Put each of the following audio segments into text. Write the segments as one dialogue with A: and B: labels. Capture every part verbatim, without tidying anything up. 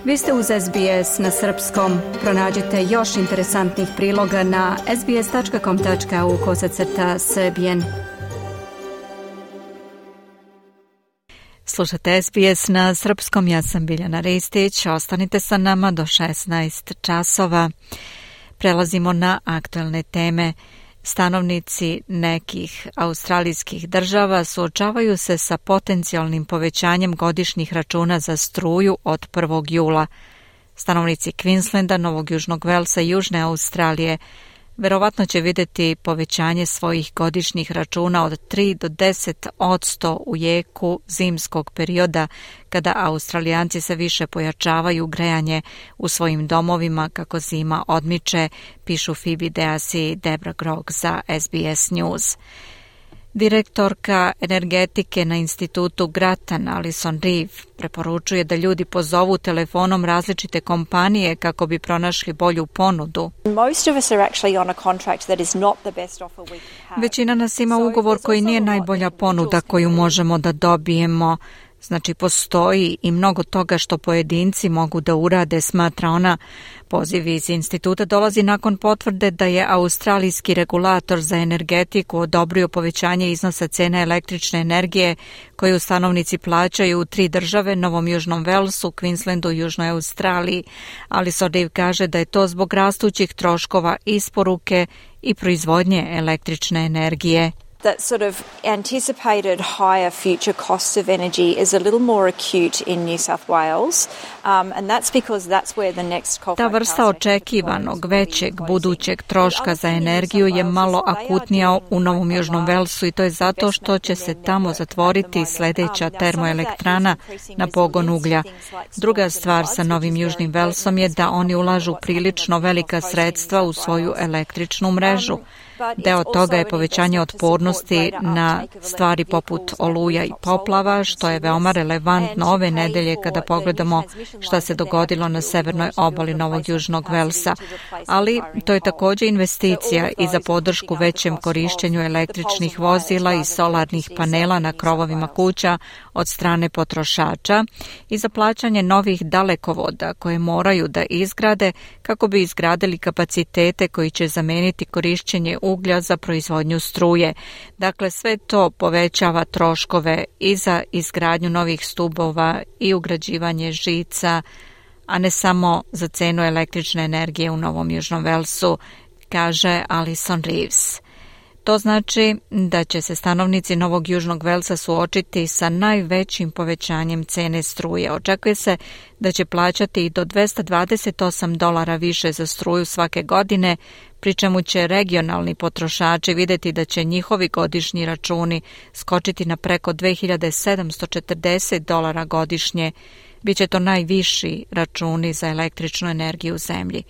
A: Vi ste uz S B S na srpskom. Pronađite još interesantnih priloga na sbs.com.au kosacrta srbijen. Slušate S B S na srpskom, ja sam Biljana Ristić. Ostanite sa nama do šesnaest časova. Prelazimo na aktuelne teme. Stanovnici nekih australijskih država suočavaju se sa potencijalnim povećanjem godišnjih računa za struju od prvog jula. Stanovnici Queenslanda, Novog Južnog Velsa i Južne Australije verovatno će vidjeti povećanje svojih godišnjih računa od tri do deset posto u jeku zimskog perioda, kada Australijanci se više pojačavaju grejanje u svojim domovima kako zima odmiče, pišu Phoebe Deas i Debra Grog za S B S News. Direktorka energetike na institutu Grattan, Alison Reeve, preporučuje da ljudi pozovu telefonom različite kompanije kako bi pronašli bolju ponudu. Većina nas ima ugovor koji nije najbolja ponuda koju možemo da dobijemo. Znači, postoji i mnogo toga što pojedinci mogu da urade, smatra ona. Poziv iz instituta dolazi nakon potvrde da je australijski regulator za energetiku odobrio povećanje iznosa cene električne energije koju stanovnici plaćaju u tri države, Novom Južnom Velsu, Queenslandu i Južnoj Australiji. Alison Reeve kaže da je to zbog rastućih troškova isporuke i proizvodnje električne energije.
B: That sort of anticipated higher future costs of energy is a little more acute in New South Wales, um, and that's because that's where the next coal.
A: Ta vrsta očekivanog većeg budućeg troška za energiju je malo akutnija u Novom Južnom Velsu i to je zato što će se tamo zatvoriti sljedeća termoelektrana na pogon uglja. Druga stvar sa Novim Južnim Velsom je da oni ulažu prilično velika sredstva u svoju električnu mrežu. Deo toga je povećanje otpornosti na stvari poput oluja i poplava, što je veoma relevantno ove nedelje kada pogledamo šta se dogodilo na severnoj obali Novog Južnog Velsa. Ali to je također investicija i za podršku većem korišćenju električnih vozila i solarnih panela na krovovima kuća od strane potrošača i za plaćanje novih dalekovoda koje moraju da izgrade kako bi izgradili kapacitete koji će zameniti korišćenje uglja za proizvodnju struje. Dakle, sve to povećava troškove i za izgradnju novih stubova i ugrađivanje žica, a ne samo za cenu električne energije u Novom Južnom Velsu, kaže Alison Reeves. To znači da će se stanovnici Novog Južnog Velsa suočiti sa najvećim povećanjem cene struje. Očekuje se da će plaćati i do dvesta dvadeset osam dolara više za struju svake godine, pri čemu će regionalni potrošači vidjeti da će njihovi godišnji računi skočiti na preko dve hiljade sedamsto četrdeset dolara godišnje. Biće to najviši računi za električnu energiju u zemlji.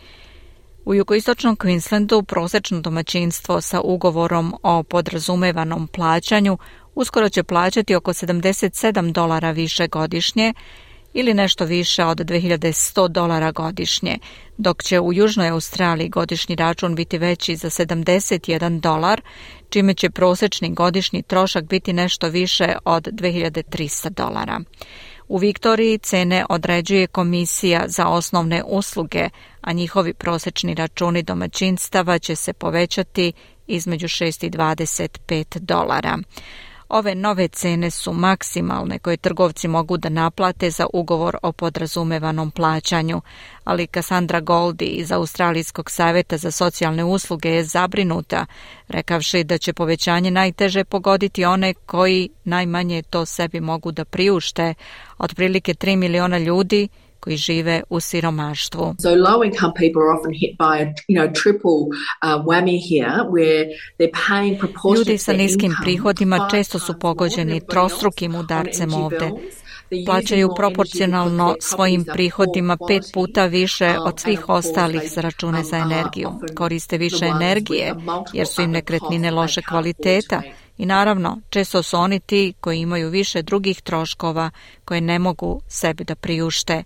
A: U jugoistočnom Queenslandu prosečno domaćinstvo sa ugovorom o podrazumevanom plaćanju uskoro će plaćati oko sedamdeset sedam dolara više godišnje ili nešto više od dve hiljade sto dolara godišnje, dok će u Južnoj Australiji godišnji račun biti veći za sedamdeset jedan dolar, čime će prosječni godišnji trošak biti nešto više od dve hiljade trista dolara. U Viktoriji cene određuje Komisija za osnovne usluge, a njihovi prosječni računi domaćinstava će se povećati između šest i dvadeset pet dolara. Ove nove cene su maksimalne koje trgovci mogu da naplate za ugovor o podrazumevanom plaćanju, ali Cassandra Goldie iz Australijskog savjeta za socijalne usluge je zabrinuta, rekavši da će povećanje najteže pogoditi one koji najmanje to sebi mogu da priušte, otprilike tri miliona ljudi koji žive u siromaštvu.
C: So low income people are often hit by a, you know, triple uh, whammy here where they're paying proportionate.
A: Ljudi sa niskim prihodima često su pogođeni trostrukim udarcem ovde. Plaćaju proporcionalno svojim prihodima pet puta više od svih ostalih za račune za energiju. Koriste više energije jer su im nekretnine loše kvaliteta. I naravno, često su oni ti koji imaju više drugih troškova koje ne mogu sebi da priušte.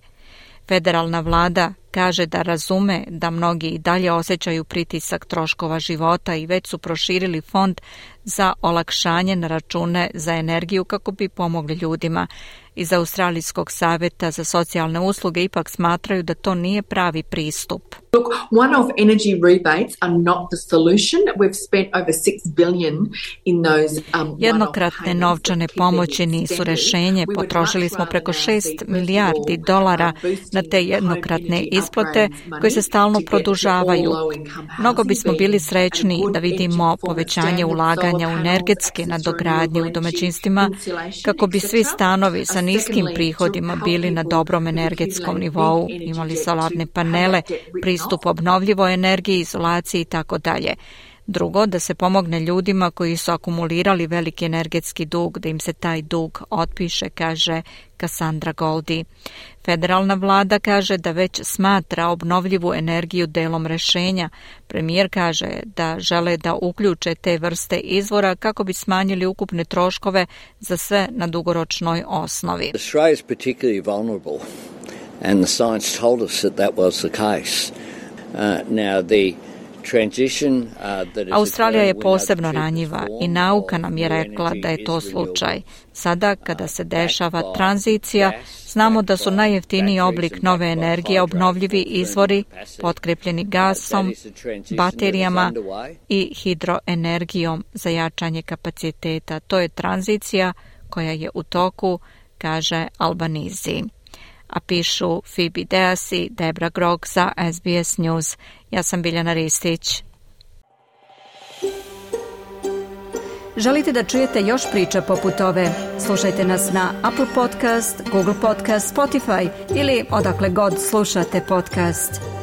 A: Federalna vlada kaže da razume da mnogi i dalje osjećaju pritisak troškova života i već su proširili fond za olakšanje na račune za energiju kako bi pomogli ljudima. iz Australijskog savjeta za socijalne usluge ipak smatraju da to nije pravi pristup.
C: Look, one-off energy rebates are not the solution. We've spent over six billion in those um,
A: Jednokratne novčane pomoći nisu rješenje. Potrošili smo preko šest milijardi dolara na te jednokratne isplate koje se stalno produžavaju. Mnogo bismo bili srećni da vidimo povećanje ulaganja u energetske nadogradnje u domaćinstvima kako bi svi stanovi sa niskim prihodima bili na dobrom energetskom nivou, imali solarne panele, pristup obnovljivoj energiji, izolaciji i tako dalje. Drugo, da se pomogne ljudima koji su akumulirali veliki energetski dug, da im se taj dug otpiše, kaže Cassandra Goldie. Federalna vlada kaže da već smatra obnovljivu energiju delom rješenja. Premijer kaže da žele da uključe te vrste izvora kako bi smanjili ukupne troškove za sve na dugoročnoj osnovi.
D: Australia is particularly vulnerable and the science told us that that was the case. Uh, now the
A: Australija je posebno ranjiva i nauka nam je rekla da je to slučaj. Sada, kada se dešava tranzicija, znamo da su najjeftiniji oblik nove energije obnovljivi izvori potkrepljeni gasom, baterijama i hidroenergijom za jačanje kapaciteta. To je tranzicija koja je u toku, kaže Albanese. A pišu Phoebe Deasi, Debra Grog za S B S News. Ja sam Biljana Ristić.
E: Želite da čujete još priča poput ove? Slušajte nas na Apple Podcast, Google Podcast, Spotify ili odakle god slušate podcast.